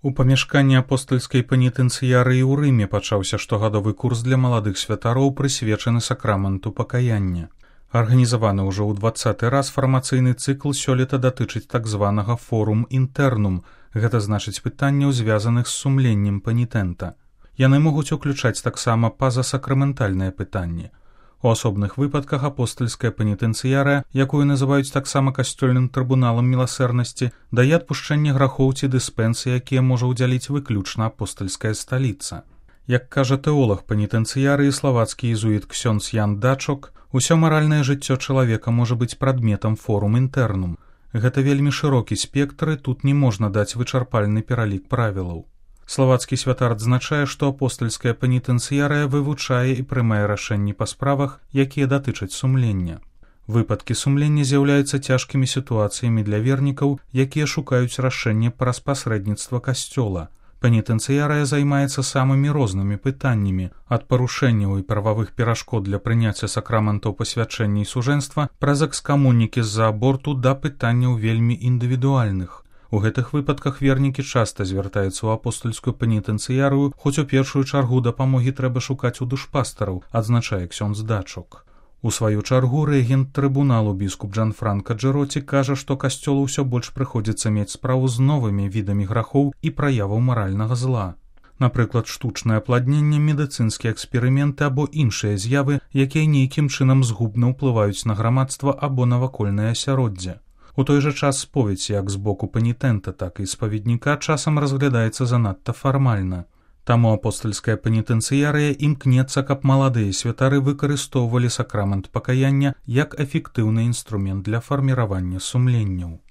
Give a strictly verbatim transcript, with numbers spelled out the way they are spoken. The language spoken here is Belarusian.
У памяшканні апостальскай пенітэнцыярыі ў Рыме пачаўся штогадовы курс для маладых святароў, прысвечаны сакраменту пакаяння. Арганізаваны ўжо ў дваццаты раз фармацыйны цыкл сёлета датычыць так званага форум інтэрнум, гэта значыць пытанняў, звязаных з сумленнем пенітэнта. Яны могуць уключаць таксама пазасакраментальныя пытанні. У асобных выпадках апостальская пенітэнцыярыя, якую называюць таксама касцёльным трыбуналам міласэрнасці, дае адпушчэнне грахоў ці дыспенсы, якія можа ўдзяліць выключна апостальская сталіца. Як кажа тэолаг пенітэнцыярыі, славацкі езуіт ксёндз Ян Дачок, усё маральнае жыццё чалавека можа быць прадметам форум інтэрнум. Гэта вельмі шырокі спектр, і тут не можна даць вычарпальны пералік правілаў. Славацкі святар адзначае, што апостальская пенітэнцыярыя вывучае і прымае рашэнні па справах, якія датычаць сумлення. Выпадкі сумлення з'яўляюцца цяжкімі сітуацыямі для вернікаў, якія шукаюць рашэнне праз пасрэдніцтва касцёла. Пенітэнцыярыя займаецца самымі рознымі пытаннямі, ад парушэнняў і прававых перашкод для прыняцця сакраментаў пасвячэння і сужэнства праз экскамунікі з-за аборту да пытанняў вельмі індывідуальных. У гэтых выпадках вернікі часта звяртаюцца ў апостальскую пенітэнцыярыю, хоць у першую чаргу дапамогі трэба шукаць у душпастараў, адзначае ксёндз Дачок. У сваю чаргу рэгент трыбуналу біскуп Джанфранка Джэроці кажа, што касцёлу ўсё больш прыходзіцца мець справу з новымі відамі грахоў і праяваў маральнага зла. Напрыклад, штучнае апладненне, медыцынскія эксперыменты або іншыя з'явы, якія нейкім чынам згубна ўплываюць на грамадства або навакольнае асяроддзе. У той жа час споведь як з боку пенітэнта, так і спаведніка часам разглядаецца занадта фармальна. Таму апостальская пенітэнцыярыя імкнецца, каб маладыя святары выкарыстоўвалі сакрамент пакаяння як эфектыўны інструмент для фарміравання сумленняў.